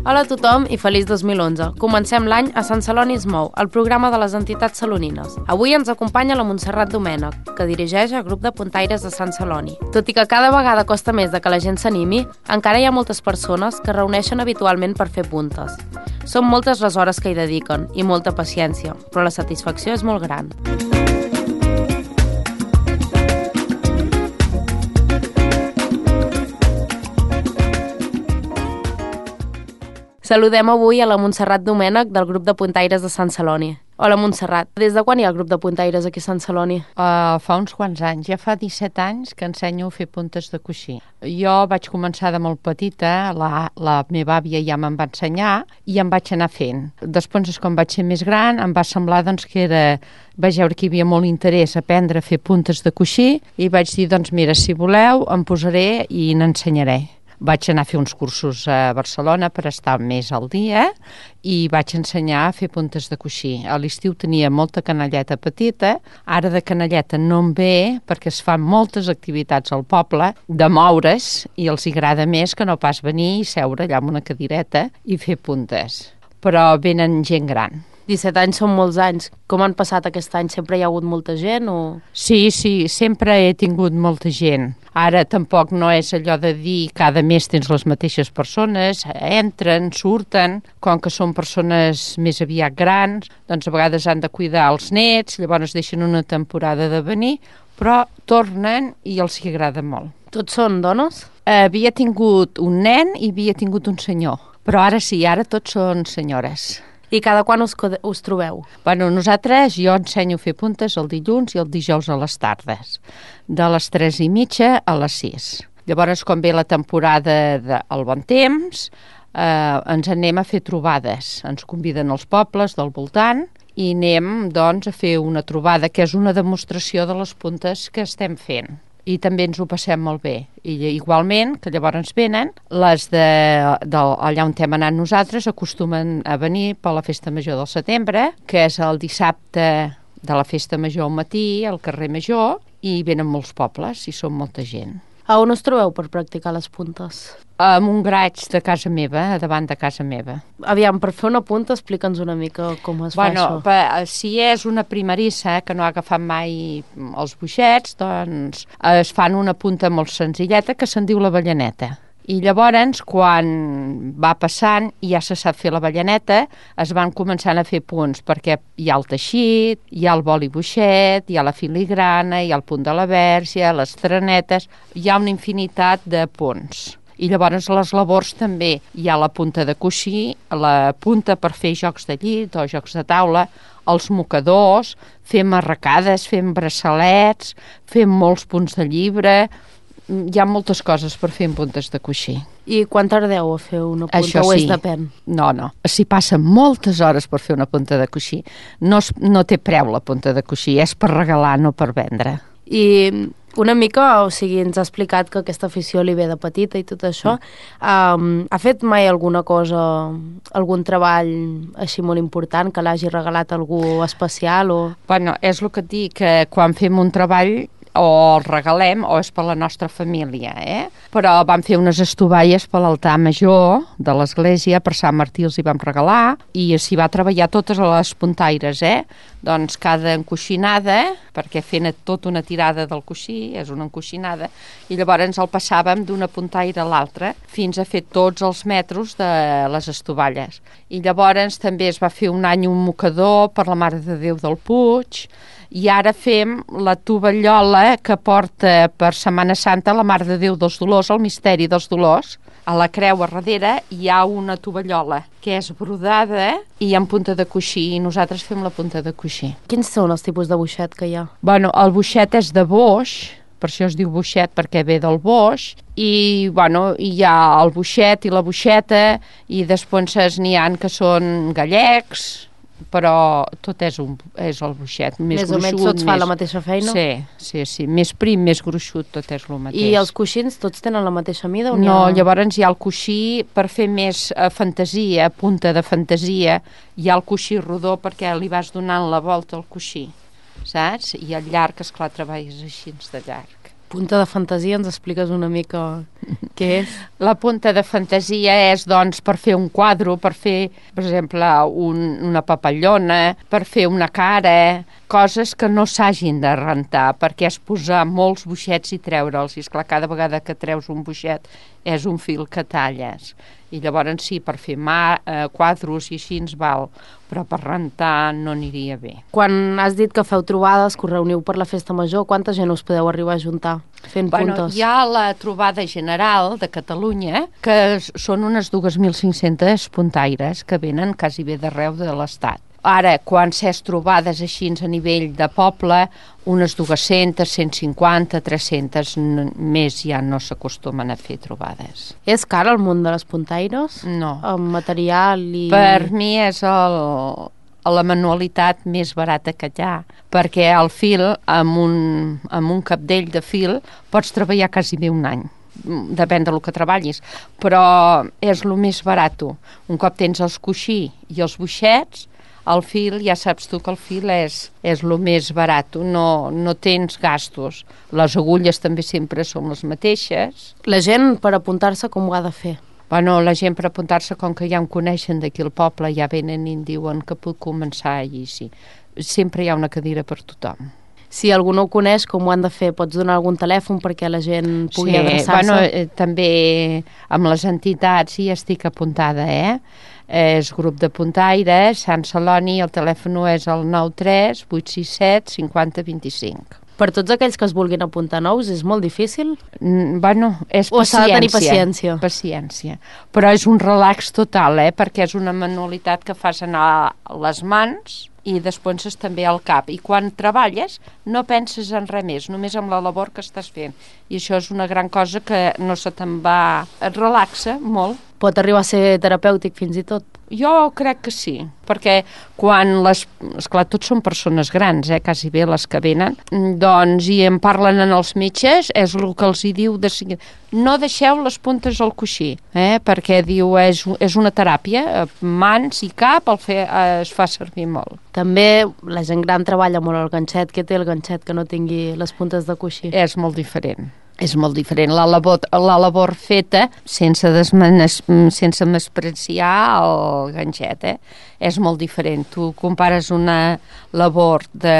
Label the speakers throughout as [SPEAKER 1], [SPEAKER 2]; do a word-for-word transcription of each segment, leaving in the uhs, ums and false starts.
[SPEAKER 1] Hola a tothom i feliç dos mil onze. Comencem l'any a Sant Celoni es mou, el programa de les entitats salonines. Avui ens acompanya la Montserrat Domènech, que dirigeix el grup de puntaires de Sant Celoni. Tot i que cada vegada costa més de que la gent s'animi, encara hi ha moltes persones que reuneixen habitualment per fer puntes. Són moltes les hores que hi dediquen i molta paciència, però la satisfacció és molt gran. Saludem avui a la Montserrat Domènech del grup de puntaires de Sant Celoni. Hola, Montserrat. Des de quan hi ha el grup de puntaires aquí a Sant Celoni?
[SPEAKER 2] Uh, fa uns quants anys. Ja fa disset anys que ensenyo a fer puntes de coixí. Jo vaig començar de molt petita, la, la meva àvia ja me'n va ensenyar i em vaig anar fent. Després, quan vaig ser més gran, em va semblar doncs, que era... vaig veure que hi havia molt interès a aprendre a fer puntes de coixí i vaig dir, doncs mira, si voleu, em posaré i n'ensenyaré. Vaig anar a fer uns cursos a Barcelona per estar més al dia i vaig ensenyar a fer puntes de coixí. A l'estiu tenia molta canalleta petita, ara de canalleta no em ve perquè es fan moltes activitats al poble de moure's i els agrada més que no pas venir i seure allà amb una cadireta i fer puntes. Però venen gent gran.
[SPEAKER 1] disset anys són molts anys. Com han passat aquest any? Sempre hi ha hagut molta gent? O...
[SPEAKER 2] Sí, sí, sempre he tingut molta gent. Ara tampoc no és allò de dir cada mes tens les mateixes persones, entren, surten, com que són persones més aviat grans, doncs a vegades han de cuidar els nets, llavors deixen una temporada de venir, però tornen i els hi agrada molt.
[SPEAKER 1] Tots són dones?
[SPEAKER 2] Havia tingut un nen i havia tingut un senyor, però ara sí, ara tots són senyores.
[SPEAKER 1] I cada quan us, us trobeu?
[SPEAKER 2] Bueno, nosaltres, jo ensenyo a fer puntes el dilluns i el dijous a les tardes, de les tres i mitja a les sis. Llavors, quan ve la temporada del bon temps, eh, ens anem a fer trobades. Ens conviden als pobles del voltant i anem, doncs, a fer una trobada, que és una demostració de les puntes que estem fent. I també ens ho passem molt bé. I igualment, que llavors venen, les de, de allà on hem anat nosaltres acostumen a venir per la Festa Major del setembre, que és el dissabte de la Festa Major al matí, al carrer Major, i venen molts pobles i són molta gent.
[SPEAKER 1] A on us trobeu per practicar les puntes?
[SPEAKER 2] En un graig de casa meva, davant de casa meva.
[SPEAKER 1] Aviam, per fer una punta, explica'ns una mica com es
[SPEAKER 2] bueno,
[SPEAKER 1] fa això.
[SPEAKER 2] Per, si és una primerissa que no ha agafat mai els boixets, doncs es fan una punta molt senzilleta que se'n diu la ballaneta. I llavors, quan va passant i ja se sap fer la ballaneta, es van començant a fer punts, perquè hi ha el teixit, hi ha el boli boixet, hi ha la filigrana, hi ha el punt de la vèrgia, les trenetes, hi ha una infinitat de punts. I llavors les labors també hi ha la punta de coixí, la punta per fer jocs de llit o jocs de taula, els mocadors, fem arracades, fem braçalets, fem molts punts de llibre, hi ha moltes coses per fer en puntes de coixí.
[SPEAKER 1] I quan tardeu a fer una punta?
[SPEAKER 2] Això
[SPEAKER 1] o
[SPEAKER 2] sí.
[SPEAKER 1] És depèn?
[SPEAKER 2] No, no. S'hi passen moltes hores per fer una punta de coixí. No, es, no té preu la punta de coixí, és per regalar, no per vendre.
[SPEAKER 1] I una mica, o sigui, ens ha explicat que aquesta afició li ve de petita i tot això. Mm. Um, ha fet mai alguna cosa, algun treball així molt important que l'hagi regalat algú especial? O...
[SPEAKER 2] Bueno, és el que et dic, que quan fem un treball o el regalem o és per la nostra família, eh? Però vam fer unes estovalles per l'altar major de l'església, per Sant Martí els hi vam regalar i s'hi va treballar totes les puntaires, eh? Doncs cada encoixinada, perquè fent tota una tirada del coixí, és una encoixinada, i llavors el passàvem d'una puntaire a l'altra fins a fer tots els metros de les estovalles. I llavors també es va fer un any un mocador per la Mare de Déu del Puig, i ara fem la tovallola que porta per Setmana Santa la Mare de Déu dels Dolors, el misteri dels Dolors. A la creu a darrere hi ha una tovallola que és brodada i en punta de coixí, i nosaltres fem la punta de coixí.
[SPEAKER 1] Quins són els tipus de boixet que hi ha?
[SPEAKER 2] Bueno, el boixet és de boix, per això es diu boixet perquè ve del boix, i bueno, hi ha el boixet i la boixeta, i després n'hi ha que són gallecs, però tot és, un, és el boixet, més,
[SPEAKER 1] més
[SPEAKER 2] gruixut.
[SPEAKER 1] Més o menys tots més... fa la mateixa feina?
[SPEAKER 2] Sí, sí, sí, més prim, més gruixut, tot és el mateix.
[SPEAKER 1] I els coixins tots tenen la mateixa mida? O
[SPEAKER 2] no,
[SPEAKER 1] ha...
[SPEAKER 2] llavors hi ha el coixí per fer més eh, fantasia, punta de fantasia, hi ha el coixí rodó perquè li vas donant la volta al coixí, saps? I el llarg, esclar, treballes així de llarg.
[SPEAKER 1] Punta de fantasia, ens expliques una mica què és?
[SPEAKER 2] La punta de fantasia és, doncs, per fer un quadre, per fer, per exemple, un, una papallona, per fer una cara, coses que no s'hagin de rentar, perquè és posar molts boixets i treure'ls. I, esclar, cada vegada que treus un boixet és un fil que talles. I llavors sí, per fer mà, eh, quadros i així ens val, però per rentar no aniria bé.
[SPEAKER 1] Quan has dit que feu trobades, que us reuniu per la festa major, quanta gent us podeu arribar a juntar fent
[SPEAKER 2] bueno,
[SPEAKER 1] puntes?
[SPEAKER 2] Hi ha la trobada general de Catalunya, que són unes dos mil cinc-centes puntaires que venen quasi bé d'arreu de l'Estat. Ara, quan s'és trobades així a nivell de poble, unes dues-centes, cent cinquanta, tres-centes, més ja no s'acostumen a fer trobades.
[SPEAKER 1] És car el món de les puntaires?
[SPEAKER 2] No.
[SPEAKER 1] El material i...
[SPEAKER 2] Per mi és el, la manualitat més barata que hi ha, perquè el fil, amb un, amb un capdell de fil, pots treballar quasi bé un any. Depèn del que treballis, però és el més barat. Un cop tens els coixí i els boixets, el fil, ja saps tu que el fil és, és el més barat, no, no tens gastos. Les agulles també sempre són les mateixes.
[SPEAKER 1] La gent, per apuntar-se, com ho ha de fer?
[SPEAKER 2] Bueno, la gent per apuntar-se, com que ja em coneixen d'aquí al poble, ja venen i em diuen que puc començar allí, sí. Sempre hi ha una cadira per tothom.
[SPEAKER 1] Si algú no ho coneix, com ho han de fer? Pots donar algun telèfon perquè la gent pugui
[SPEAKER 2] sí,
[SPEAKER 1] adreçar-se?
[SPEAKER 2] Bueno, eh, també amb les entitats hi estic apuntada, eh? És grup de puntaires, Sant Celoni, el telèfon és el nou tres vuit sis set cinquanta vint-i-cinc.
[SPEAKER 1] Per tots aquells que es vulguin apuntar nous, és molt difícil?
[SPEAKER 2] Mm, bueno, és
[SPEAKER 1] o
[SPEAKER 2] paciència.
[SPEAKER 1] s'ha de tenir paciència?
[SPEAKER 2] Paciència. Però és un relax total, eh? Perquè és una manualitat que fas anar les mans i després és també al cap. I quan treballes no penses en res més, només en la labor que estàs fent. I això és una gran cosa que no se te'n va... Et relaxa molt.
[SPEAKER 1] Pot arribar a ser terapèutic fins i tot?
[SPEAKER 2] Jo crec que sí, perquè quan les... Esclar, tots són persones grans, eh, quasi bé les que venen, doncs, i en parlen en els metges, és el que els hi diu de seguida. No deixeu les puntes al coixí, eh, perquè diu, és, és una teràpia, mans i cap el fe, es fa servir molt.
[SPEAKER 1] També la gent gran treballa molt el ganxet. Què té el ganxet que no tingui les puntes de coixí?
[SPEAKER 2] És molt diferent. És molt diferent. La labor, la labor feta, sense, desmenes, sense menysprear el ganxet, eh? És molt diferent. Tu compares una labor de,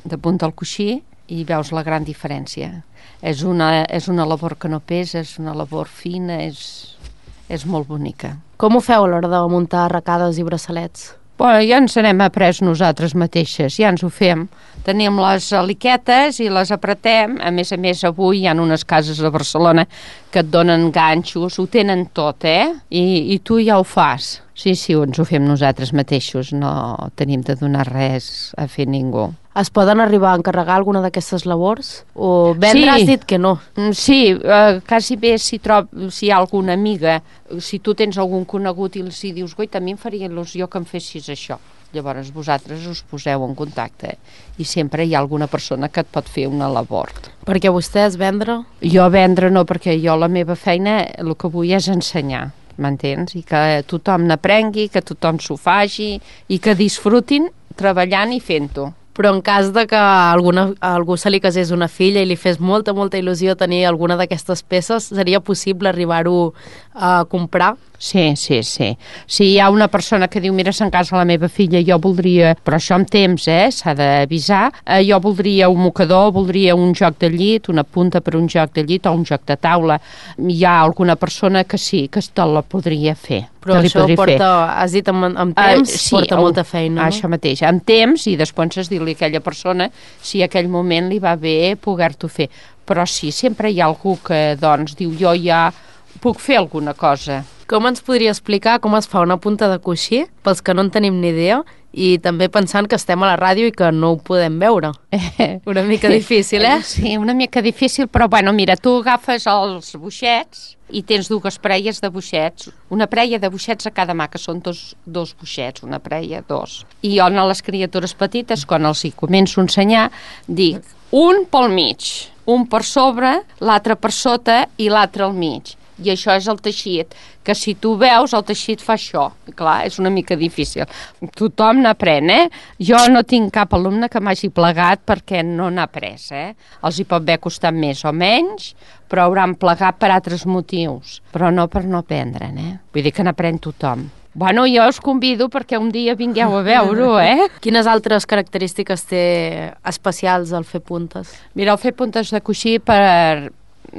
[SPEAKER 2] de punta al coixí i veus la gran diferència. És una, és una labor que no pesa, és una labor fina, és, és molt bonica.
[SPEAKER 1] Com ho feu a l'hora de muntar arracades i braçalets?
[SPEAKER 2] Bueno, ja ens n'hem après nosaltres mateixes, ja ens ho fem. Tenim les aliquetes i les apretem. A més a més, avui hi ha unes cases a Barcelona que et donen ganxos, ho tenen tot, eh? I, i tu ja ho fas. Sí, sí, ens ho fem nosaltres mateixos, no tenim de donar res a fer ningú.
[SPEAKER 1] Es poden arribar a encarregar alguna d'aquestes labors? O vendre,
[SPEAKER 2] sí.
[SPEAKER 1] Has dit que no?
[SPEAKER 2] Sí, eh, quasi bé si, trob, si hi ha alguna amiga, si tu tens algun conegut i els hi dius, guaita, a mi em faria il·lusió que em fessis això. Llavors vosaltres us poseu en contacte i sempre hi ha alguna persona que et pot fer una labor.
[SPEAKER 1] Perquè vostès vendre?
[SPEAKER 2] Jo vendre no, perquè jo la meva feina el que vull és ensenyar, m'entens? I que tothom n'aprengui, que tothom s'ho faci i que disfrutin treballant i fent-ho.
[SPEAKER 1] Però en cas de que alguna, a algú se li casés una filla i li fes molta, molta il·lusió tenir alguna d'aquestes peces, seria possible arribar-ho a comprar?
[SPEAKER 2] Sí, sí, sí. Si hi ha una persona que diu, mira, se'n casa la meva filla, jo voldria, però això amb temps, eh, s'ha d'avisar, eh, jo voldria un mocador, voldria un joc de llit, una punta per un joc de llit o un joc de taula. Hi ha alguna persona que sí, que te la podria fer.
[SPEAKER 1] Però això porta, fer. Has dit amb, amb temps, uh, sí, porta el, molta feina, no?
[SPEAKER 2] Això mateix, amb temps, i després has dir-li a aquella persona si a aquell moment li va bé poder-t'ho fer. Però sí, sempre hi ha algú que, doncs, diu, jo ja puc fer alguna cosa.
[SPEAKER 1] Com ens podria explicar com es fa una punta de coixí, pels que no en tenim ni idea, i també pensant que estem a la ràdio i que no ho podem veure? Una mica difícil, eh?
[SPEAKER 2] Sí, una mica difícil, però bueno, mira, tu agafes els boixets i tens dues prelles de boixets, una prella de boixets a cada mà, que són dos, dos boixets, una prella, dos. I jo a les criatures petites, quan els hi començo a ensenyar, dic un pel mig, un per sobre, l'altre per sota i l'altre al mig. I això és el teixit, que si tu veus el teixit fa això. Clar, és una mica difícil. Tothom n'aprèn, eh? Jo no tinc cap alumne que m'hagi plegat perquè no n'ha après, eh? Els hi pot haver costat més o menys, però hauran plegat per altres motius, però no per no aprendre'n, eh? Vull dir que n'aprèn tothom. Bueno, jo us convido perquè un dia vingueu a veure-ho, eh?
[SPEAKER 1] Quines altres característiques té especials el fer puntes?
[SPEAKER 2] Mira, el fer puntes de coixí per,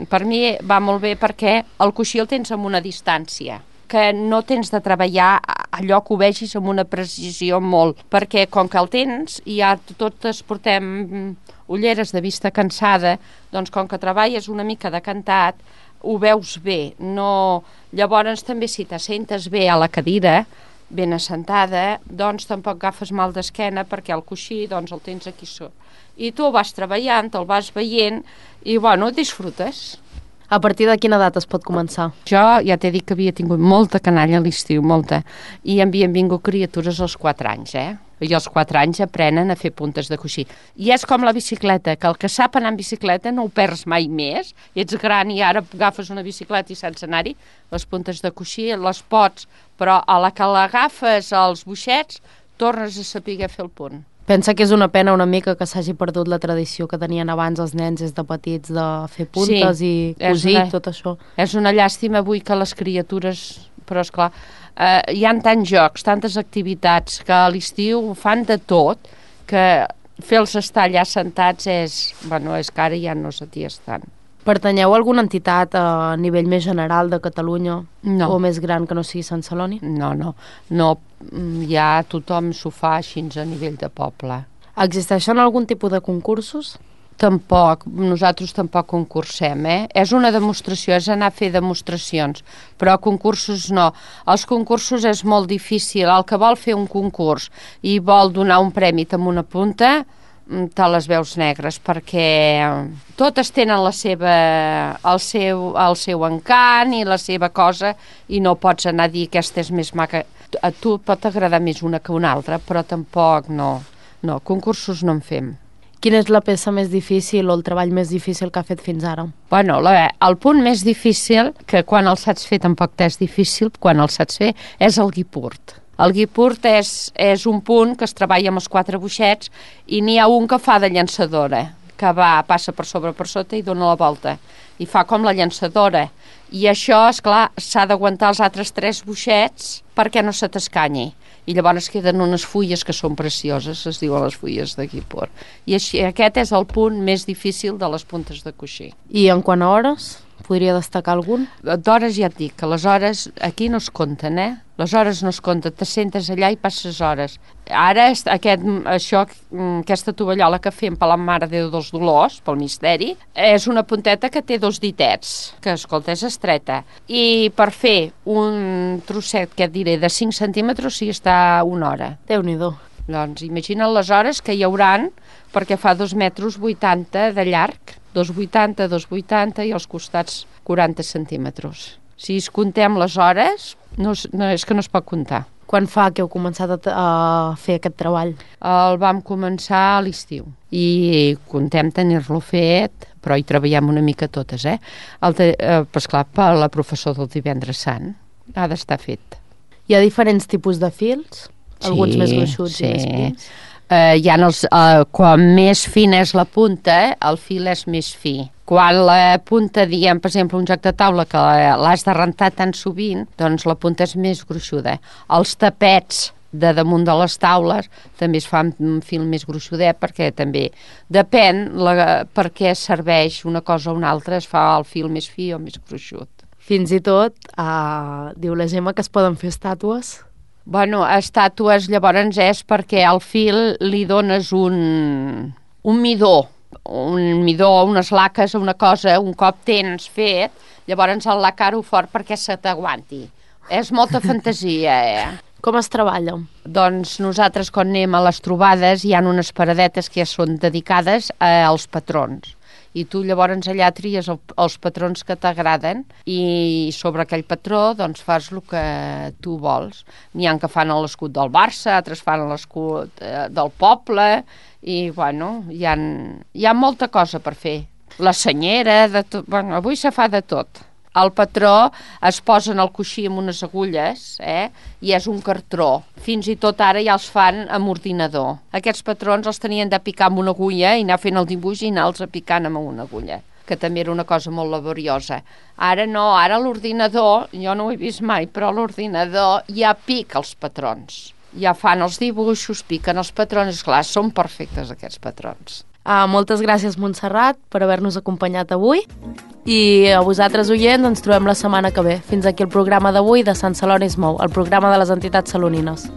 [SPEAKER 2] per mi va molt bé perquè el coixí el tens amb una distància, que no tens de treballar allò que ho vegis amb una precisió molt, perquè com que el tens i ja totes portem ulleres de vista cansada, doncs com que treballes una mica decantat, ho veus bé. No... Llavors també si t'assentes bé a la cadira, ben assentada, doncs tampoc agafes mal d'esquena perquè el coixí doncs el tens aquí sota. I tu vas treballant, el vas veient i bueno, disfrutes.
[SPEAKER 1] A partir de quina edat es pot començar?
[SPEAKER 2] Jo ja t'he dit que havia tingut molta canalla a l'estiu, molta, i havien vingut criatures als quatre anys, eh? I als quatre anys aprenen a fer puntes de coixí. I és com la bicicleta, que el que sap anar en bicicleta no ho perds mai més. Ets gran i ara agafes una bicicleta i saps anar-hi. Les puntes de coixí les pots, però a la que l'agafes als boixets tornes a saber fer el punt.
[SPEAKER 1] Pensa que és una pena una mica que s'hagi perdut la tradició que tenien abans els nens des de petits de fer puntes
[SPEAKER 2] sí,
[SPEAKER 1] i cosir, una, tot això.
[SPEAKER 2] És una llàstima avui que les criatures, però esclar, eh, hi ha tants jocs, tantes activitats, que a l'estiu fan de tot, que fer-los estar allà sentats és, bueno, és que ara ja no s'aties tant.
[SPEAKER 1] Pertanyeu a alguna entitat a nivell més general de Catalunya
[SPEAKER 2] no.
[SPEAKER 1] o més gran que no sigui Sant Celoni?
[SPEAKER 2] No, no, no, ja tothom s'ho fa així a nivell de poble.
[SPEAKER 1] Existeixen algun tipus de concursos?
[SPEAKER 2] Tampoc, nosaltres tampoc concursem, eh? És una demostració, és anar a fer demostracions, però concursos no. Els concursos és molt difícil, el que vol fer un concurs i vol donar un premi amb una punta, te les veus negres, perquè totes tenen la seva, el, seu, el seu encant i la seva cosa i no pots anar a dir que aquesta és més maca. A tu pot agradar més una que una altra, però tampoc no. No, concursos no en fem.
[SPEAKER 1] Quina és la peça més difícil o el treball més difícil que ha fet fins ara?
[SPEAKER 2] Bueno, la, el punt més difícil, que quan el saps fer tampoc t'és difícil, quan el saps fer, és el guipurt. El guipurt és, és un punt que es treballa amb els quatre boixets i n'hi ha un que fa de llançadora, que va, passa per sobre per sota i dona la volta. I fa com la llançadora. I això, esclar, s'ha d'aguantar els altres tres boixets perquè no se t'escanyi. I llavors queden unes fulles que són precioses, es diuen les fulles de guipurt. I així, aquest és el punt més difícil de les puntes de coixí.
[SPEAKER 1] I en quant a hores? Podria destacar algun?
[SPEAKER 2] D'hores ja et dic, que les hores aquí no es compten, eh? Les hores no es compten, t'assentes allà i passes hores. Ara, aquest, això, aquesta tovallola que fem per la Mare de Déu dels Dolors, pel misteri, és una punteta que té dos ditets, que, escolta, és estreta. I per fer un trosset, que et diré, de cinc centímetres, sí està una hora.
[SPEAKER 1] Déu-n'hi-do.
[SPEAKER 2] Doncs imagina't les hores que hi hauran, perquè fa dos metres vuitanta de llarg, dos vuitanta, dos vuitanta i als costats quaranta centímetres. Si es contem les hores, no, no, és que no es pot comptar.
[SPEAKER 1] Quan fa que heu començat a, a fer aquest treball?
[SPEAKER 2] El vam començar a l'estiu i contem tenir-lo fet, però hi treballem una mica totes, eh? El te, eh pues clar, per la professor del divendres sant ha d'estar fet.
[SPEAKER 1] Hi ha diferents tipus de fils? Alguns
[SPEAKER 2] sí,
[SPEAKER 1] més gruixuts
[SPEAKER 2] sí.
[SPEAKER 1] i més fins?
[SPEAKER 2] Uh, hi ha els, uh, quan més fina és la punta, eh, el fil és més fi. Quan la punta, diguem, per exemple, un joc de taula que l'has de rentar tan sovint, doncs la punta és més gruixuda. Els tapets de damunt de les taules també es fan un fil més gruixudet, perquè també depèn la, per què serveix una cosa o una altra, es fa el fil més fi o més gruixut.
[SPEAKER 1] Fins i tot, uh, diu la Gemma que es poden fer estàtues?
[SPEAKER 2] Bueno, estàtues llavors és perquè al fil li dones un, un midó, un midó, unes laques, una cosa, un cop tens fet, llavors el lacar-ho fort perquè se t'aguanti. És molta fantasia, eh?
[SPEAKER 1] Com es treballa?
[SPEAKER 2] Doncs nosaltres quan anem a les trobades hi ha unes paradetes que ja són dedicades als patrons. I tu llavors allà tries el, els patrons que t'agraden i sobre aquell patró doncs fas el que tu vols. N'hi ha que fan l'escut del Barça, altres fan l'escut eh, del poble i bueno, hi ha, hi ha molta cosa per fer. La senyera, de tot, bueno, avui se fa de tot. El patró es posa en el coixí amb unes agulles, eh? I és un cartró. Fins i tot ara ja els fan amb ordinador. Aquests patrons els tenien de picar amb una agulla i anar fent el dibuix i anar-los picant amb una agulla, que també era una cosa molt laboriosa. Ara no, ara l'ordinador, jo no ho he vist mai, però l'ordinador ja pica els patrons. Ja fan els dibuixos, piquen els patrons, clar, són perfectes aquests patrons.
[SPEAKER 1] Uh, moltes gràcies, Montserrat, per haver-nos acompanyat avui. I a vosaltres, oients, ens trobem la setmana que ve. Fins aquí el programa d'avui de Sant Celoni es mou, el programa de les entitats salonines.